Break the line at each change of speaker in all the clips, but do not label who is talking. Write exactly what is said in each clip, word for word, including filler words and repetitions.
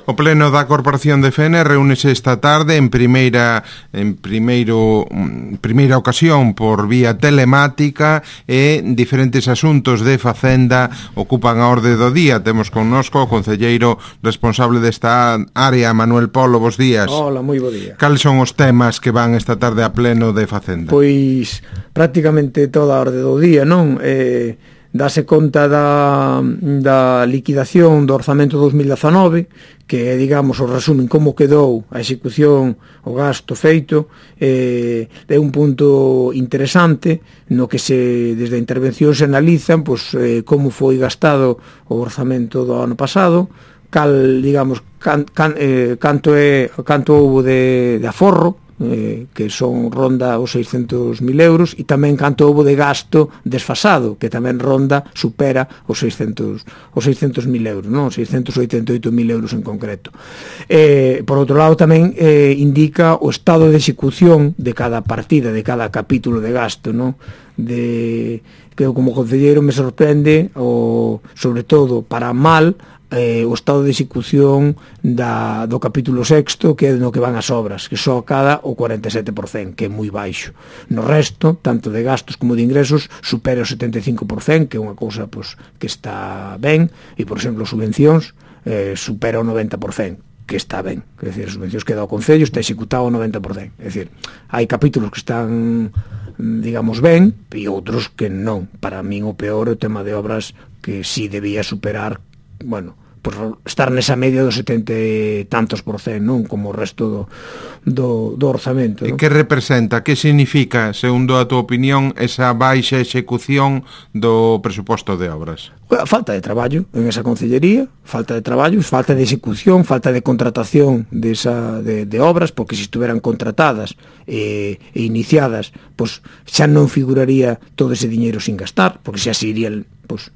O pleno da Corporación de Fene reúnese esta tarde en primeira en primeiro primeira ocasión por vía telemática e diferentes asuntos de Facenda ocupan a orde do día. Temos connosco o concelleiro responsable desta área, Manuel Polo. Bos días.
Hola, moi bo día.
Cales son os temas que van esta tarde a pleno de Facenda?
Pois prácticamente toda a orde do día, non? Eh, dase conta da, da liquidación do orzamento dos mil dezanove, que é, digamos, o resumen como quedou a execución, o gasto feito. Eh, é un punto interesante no que se, desde a intervención se analizan pois, eh, como foi gastado o orzamento do ano pasado, cal, digamos, can, can, eh, canto é canto houbo de, de aforro, eh, que son ronda os seiscentos mil euros, e tamén canto houbo de gasto desfasado, que tamén ronda, supera os seiscentos mil euros, non? seiscentos oitenta e oito mil euros en concreto. Eh, por outro lado, tamén eh, indica o estado de execución de cada partida, de cada capítulo de gasto, non? De, que como concelleiro me sorprende, o, sobre todo para mal, Eh, o estado de execución da, do capítulo sexto, que é no que van as obras, que só cada o cuarenta e sete por cento, que é moi baixo. No resto, tanto de gastos como de ingresos, supera o setenta e cinco por cento, que é unha cousa pois, que está ben, e, por exemplo, subvencións eh, supera o noventa por cento, que está ben. É dicir, as subvencións que dá o Concello está executado o noventa por cento. É dicir, hai capítulos que están, digamos, ben, e outros que non. Para min o peor é o tema de obras que si debía superar, bueno, por estar nesa media dos setenta e tantos por cento, non? Como o resto do, do, do orzamento, non?
E que representa, que significa, segundo a tua opinión, esa baixa execución do presuposto de obras?
Falta de traballo en esa concellería, falta de traballo, falta de execución, falta de contratación de, esa, de, de obras, porque se estuveran contratadas e, e iniciadas, pois xa non figuraría todo ese diñeiro sin gastar, porque xa se iría, pois,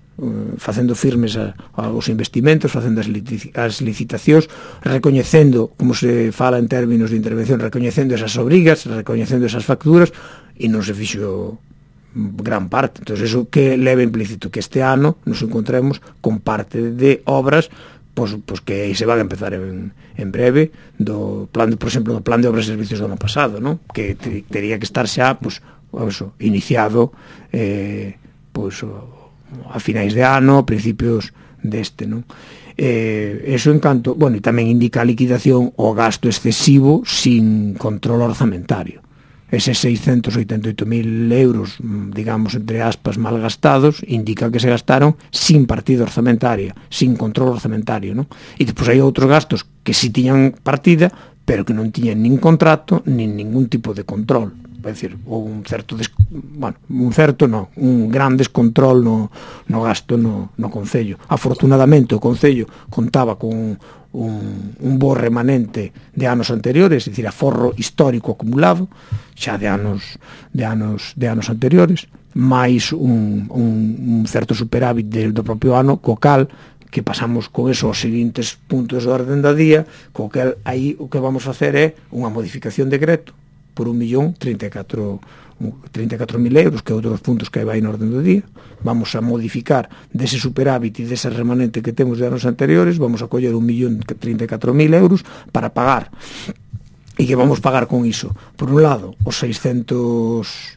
facendo firmes a, aos investimentos, facendo as, lici, as licitacións, recoñecendo, como se fala en términos de intervención, recoñecendo esas obrigas, recoñecendo esas facturas, e non se fixo gran parte. Entón, eso que leva implícito que este ano nos encontremos con parte de obras pois, pois que se van a empezar en, en breve, do plan de, por exemplo, do plan de obras e servicios do ano pasado, non? Que te, teria que estar xa pois, eso, iniciado eh, pois a finais de ano, a principios deste, non? Eh, eso en canto, bueno, e tamén indica a liquidación o gasto excesivo sin control orzamentario. Eses seiscentos oitenta e oito mil euros, digamos, entre aspas, mal gastados, indica que se gastaron sin partida orzamentaria, sin control orzamentario, non? E depois hai outros gastos que si tiñan partida, pero que non tiñan nin contrato, nin ningún tipo de control. É dicir, ou un certo des... bueno, un certo non, un gran descontrol no, no gasto no, no Concello. Afortunadamente o Concello contaba con un, un bo remanente de anos anteriores, é dicir, aforro histórico acumulado xa de anos de anos, de anos anteriores, máis un, un, un certo superávit de, do propio ano, co cal que pasamos con eso aos seguintes puntos de orden da día, co cal aí o que vamos facer é unha modificación de decreto por un millón trinta e catro mil euros, que é outro dos puntos que vai na orden do día. Vamos a modificar dese superávit e dese remanente que temos de anos anteriores, vamos a coller un millón trinta e catro mil euros para pagar. E que vamos pagar con iso? Por un lado, os seiscentos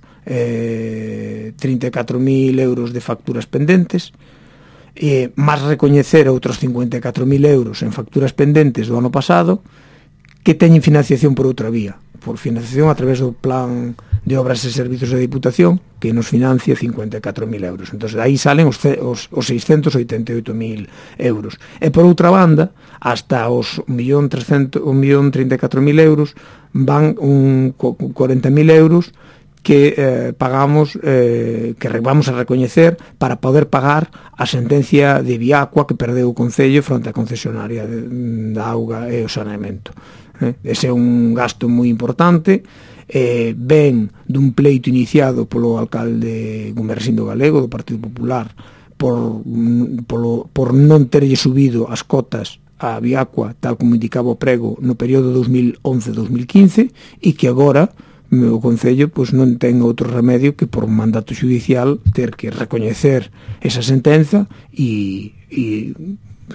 trinta e catro mil euros de facturas pendentes, e máis recoñecer outros cincuenta e catro mil euros en facturas pendentes do ano pasado que teñen financiación por outra vía, por financiación a través do plan de obras e servizos da Diputación, que nos financia cincuenta e catro mil euros. Entón, aí salen os, os, os seiscentos oitenta e oito mil euros. E por outra banda, hasta os un millón trinta e catro mil euros van un cuarenta mil euros que eh, pagamos, eh, que vamos a recoñecer para poder pagar a sentencia de Viacua que perdeu o Concello fronte á concesionaria de, da auga e o saneamento. Eh? Ese é un gasto moi importante, eh, ven dun pleito iniciado polo alcalde Gumersindo Galego do Partido Popular por, polo, por non terlle subido as cotas a Viacua tal como indicaba o prego no período dos mil once a dos mil quince, e que agora o Concello pois non ten outro remedio que por mandato judicial ter que recoñecer esa sentenza e, e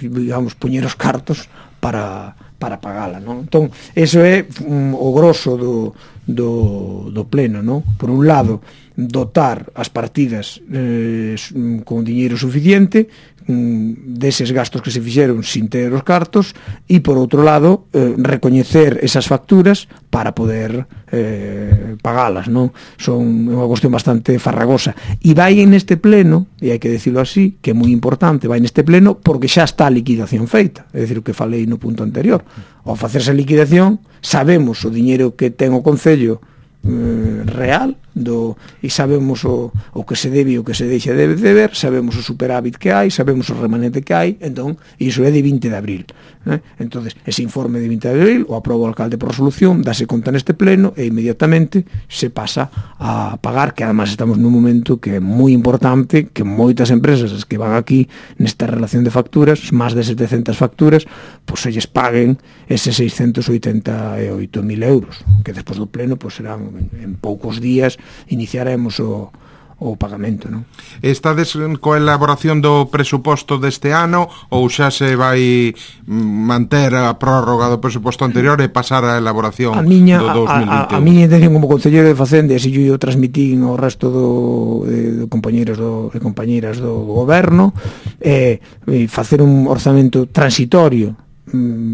digamos, poñer os cartos para, para pagala, non? Entón, eso é um, o grosso do, do, do pleno, non? Por un lado, dotar as partidas eh, con diñeiro suficiente deses gastos que se fixeron sin ter os cartos, e por outro lado eh, recoñecer esas facturas para poder eh, pagalas, non? Son unha cuestión bastante farragosa, e vai en este pleno, e hai que decirlo así, que é moi importante, vai neste pleno porque xa está a liquidación feita, é dicir, o que falei no punto anterior. Ao facerse a liquidación sabemos o diñeiro que ten o Concello eh, real do, e sabemos o, o que se debe e o que se deixa de deber, sabemos o superávit que hai, sabemos o remanente que hai, entón, iso é de vinte de abril, eh? Entonces, ese informe de vinte de abril o aproba o alcalde por resolución, dase conta neste pleno e inmediatamente se pasa a pagar, que además estamos nun momento que é moi importante, que moitas empresas que van aquí nesta relación de facturas, máis de setecentas facturas, pois se lles paguen eses seiscentos oitenta e oito mil euros, que despois do pleno pois serán en, en poucos días iniciaremos o, o pagamento, non?
Estades coa elaboración do presuposto deste ano ou xa se vai manter a prórroga do presuposto anterior e pasar a elaboración
a miña,
do dos mil vinte e un?
A, a, a miña intención como concelleiro de Facenda, e se yo transmitín ao resto do, de, de compañeros do, e compañeras do goberno, é eh, facer un orzamento transitorio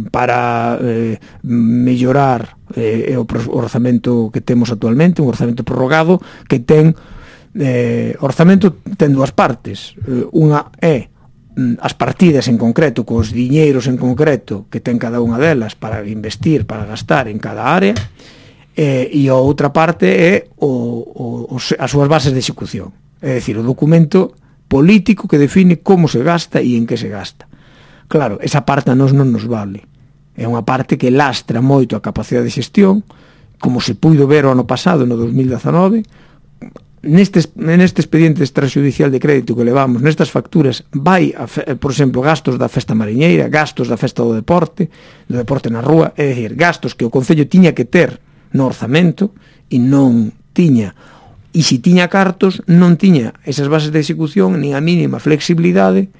para eh, mellorar eh, o orzamento que temos actualmente, un orzamento prorrogado que ten eh, orzamento ten dúas partes, eh, unha é as partidas en concreto, cos diñeiros en concreto que ten cada unha delas para investir, para gastar en cada área, eh, e a outra parte é o, o, as súas bases de execución, é dicir, o documento político que define como se gasta e en que se gasta. Claro, esa parte a nos non nos vale. É unha parte que lastra moito a capacidade de xestión, como se puido ver o ano pasado, no dos mil dezanove. Neste, neste expediente extrajudicial de crédito que levamos, nestas facturas, vai, a, por exemplo, gastos da festa mariñeira, gastos da festa do deporte, do deporte na rúa, é dicir, gastos que o Concello tiña que ter no orzamento e non tiña. E se tiña cartos, non tiña esas bases de execución, nin a mínima flexibilidade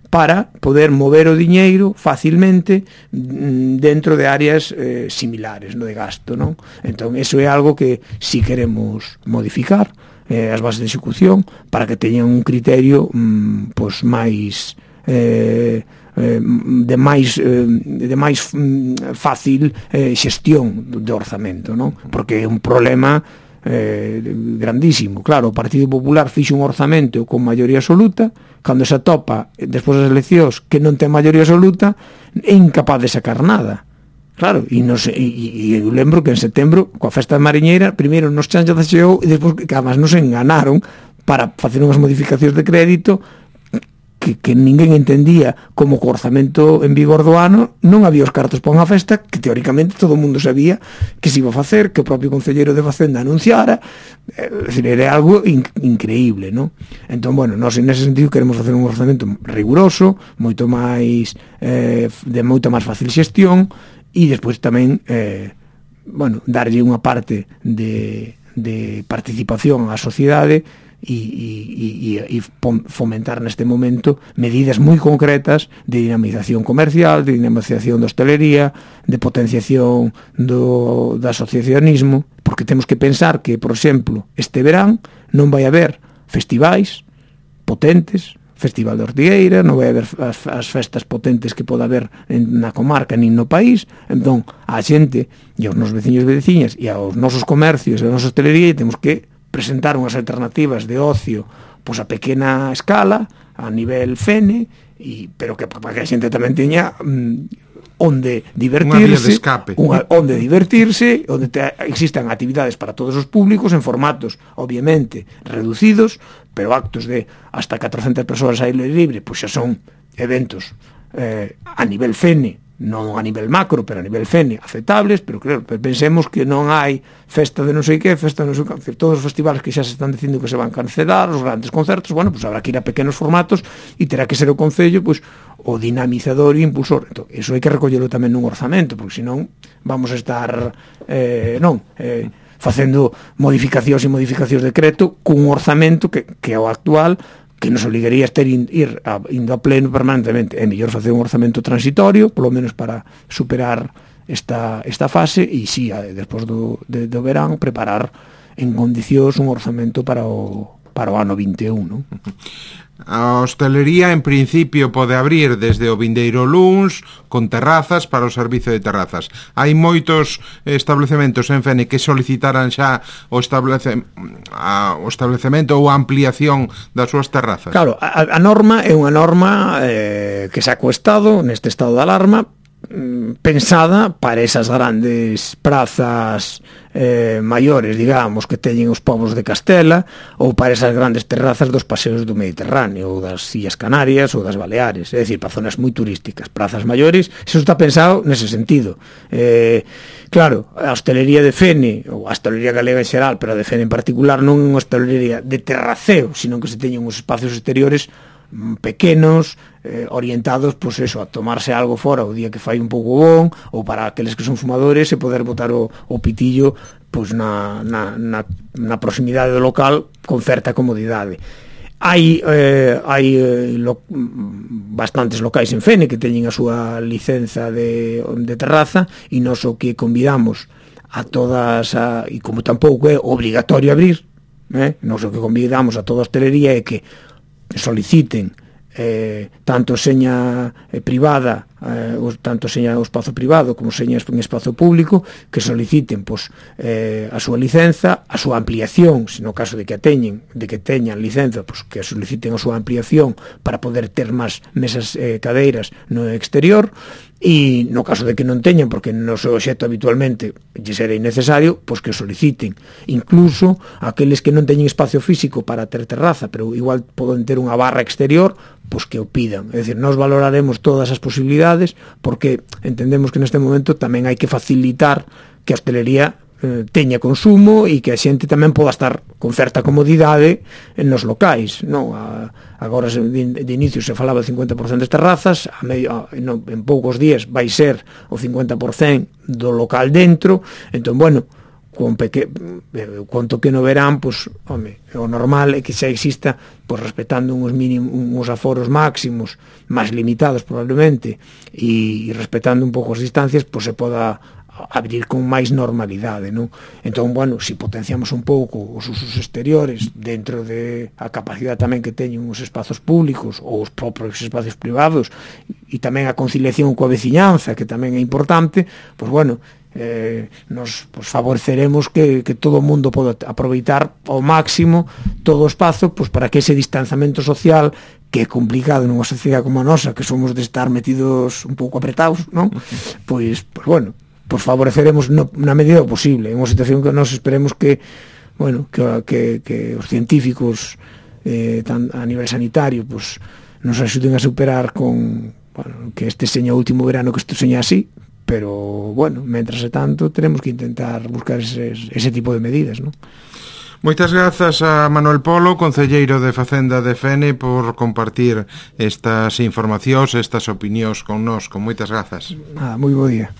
para poder mover o diñeiro facilmente dentro de áreas eh, similares, no de gasto, non? Entón, eso é algo que si queremos modificar, eh, as bases de execución, para que teñan un criterio mm, pois máis eh, eh, de máis eh, de máis mm, fácil eh, xestión do orzamento, non? Porque é un problema eh, grandísimo. Claro, o Partido Popular fixe un orzamento con maioría absoluta, cando se atopa despois das eleccións que non ten maioría absoluta, é incapaz de sacar nada. Claro, e, nos, e, e eu lembro que en setembro, coa festa de Mariñeira, primeiro nos chancha da xeo e despois que además nos enganaron para facer unhas modificacións de crédito que, que ninguén entendía, como co orzamento en vigor do ano non había os cartos para unha festa que teóricamente todo o mundo sabía que se iba a facer, que o propio concelleiro de Facenda anunciara, é dicir, era algo in, increíble, non? Entón, bueno, nós en ese sentido queremos facer un orzamento riguroso, moito máis eh, de moita máis fácil xestión, e despois tamén eh, bueno, darlle unha parte de, de participación á sociedade e, e, e, e fomentar neste momento medidas moi concretas de dinamización comercial, de dinamización da hostelería, de potenciación do, do asociacionismo, porque temos que pensar que, por exemplo, este verán non vai haber festivais potentes, Festival de Ortigueira, non vai haber as, as festas potentes que poda haber en, na comarca nin no país. Entón, a xente e aos nosos veciños e veciñas e aos nosos comercios e a nosa hostelería temos que presentar unhas alternativas de ocio pois a pequena escala, a nivel fene, e, pero que para que a xente tamén teña mm, onde divertirse,
unha vía de escape,
unha, onde divertirse, onde te, existan actividades para todos os públicos en formatos, obviamente, reducidos, pero actos de hasta catrocentas persoas a aire libre, pois xa son eventos eh, a nivel fene, non a nivel macro, pero a nivel fene, aceptables, pero claro, pensemos que non hai festa de non sei que, festa de non sei que, todos os festivales que xa se están dicindo que se van cancelar, os grandes concertos, bueno, pues habrá que ir a pequenos formatos e terá que ser o Concello, pues, o dinamizador e impulsor. Entón, eso hai que recollelo tamén nun orzamento, porque senón vamos a estar eh, non, eh, facendo modificacións e modificacións de decreto cun orzamento que, que é o actual, que nos obligaría a ter in, ir a, indo a pleno permanentemente. É mellor facer un orzamento transitorio, polo menos para superar esta, esta fase, e si, sí, despois do, de, do verán, preparar en condicións un orzamento para o, para o ano vinte e un, non?
A hostelería, en principio, pode abrir desde o vindeiro luns con terrazas para o servicio de terrazas. Hai moitos establecementos en Fene que solicitaran xa o, establece, a, o establecemento ou a ampliación das súas terrazas.
Claro, a, a norma é unha norma eh, que sacou o Estado neste estado de alarma, pensada para esas grandes prazas eh, maiores, digamos, que teñen os povos de Castela, ou para esas grandes terrazas dos paseos do Mediterráneo, ou das Illas Canarias, ou das Baleares, é dicir, para zonas moi turísticas, prazas maiores, eso está pensado nese sentido. Eh, claro, a hostelería de Fene, ou a hostelería galega en xeral, pero a de Fene en particular, non é unha hostelería de terraceo, sino que se teñen uns espacios exteriores pequenos, eh, orientados, pois eso, a tomarse algo fora o día que fai un pouco bon, ou para aqueles que son fumadores e poder botar o, o pitillo pois na, na, na, na proximidade do local con certa comodidade. Hai, eh, hai eh, lo, bastantes locais en Fene que teñen a súa licenza de, de terraza, e nos o que convidamos a todas, a, e como tampouco é obrigatorio abrir, eh, nos o que convidamos a toda a hostelería é que soliciten eh, tanto seña eh, privada, eh, tanto seña o espazo privado como seña en espazo público, que soliciten pois, eh, a súa licenza, a súa ampliación, se no caso de que a teñen, de que teñan licenza, pois, que soliciten a súa ampliación para poder ter máis mesas eh, cadeiras no exterior, e no caso de que non teñan, porque no seu obxecto habitualmente lle será innecesario, pois que soliciten. Incluso aqueles que non teñen espacio físico para ter terraza, pero igual poden ter unha barra exterior, pois que o pidan. É dicir, nós valoraremos todas as posibilidades, porque entendemos que neste momento tamén hai que facilitar que a hostelería eh, teña consumo e que a xente tamén poda estar con certa comodidade nos locais, non? A, agora de, de inicio se falaba de cincuenta por cento das terrazas, a medio, a, no, en poucos días vai ser o cincuenta por cento do local dentro, entón, bueno, con peque, conto que no verán, pois, home, o normal é que xa exista, pois, respetando uns mínimos, uns aforos máximos, máis limitados probablemente, e, e respetando un pouco as distancias, pois se poda abrir con máis normalidade, non? Entón, bueno, se si potenciamos un pouco os usos exteriores dentro de a capacidade tamén que teñen os espazos públicos ou os propios espacios privados, e tamén a conciliación coa veciñanza, que tamén é importante, pois, bueno, eh, nos pues, favoreceremos que, que todo o mundo poda aproveitar ao máximo todo o espazo, pues, para que ese distanciamento social, que é complicado nunha sociedade como a nosa, que somos de estar metidos un pouco apretados, non? Pois, pues, bueno, pues favoreceremos no, na medida posible, en unha situación que nos esperemos que, bueno, que, que, que os científicos eh, tan, a nivel sanitario pues, nos axuden a superar con, bueno, que este seña o último verano que isto seña así, pero, bueno, mentras e tanto tenemos que intentar buscar ese, ese tipo de medidas, non?
Moitas grazas a Manuel Polo, concelleiro de Facenda de Fene, por compartir estas informacións, estas opinións con nós. Con moitas grazas.
Nada, moi bo día.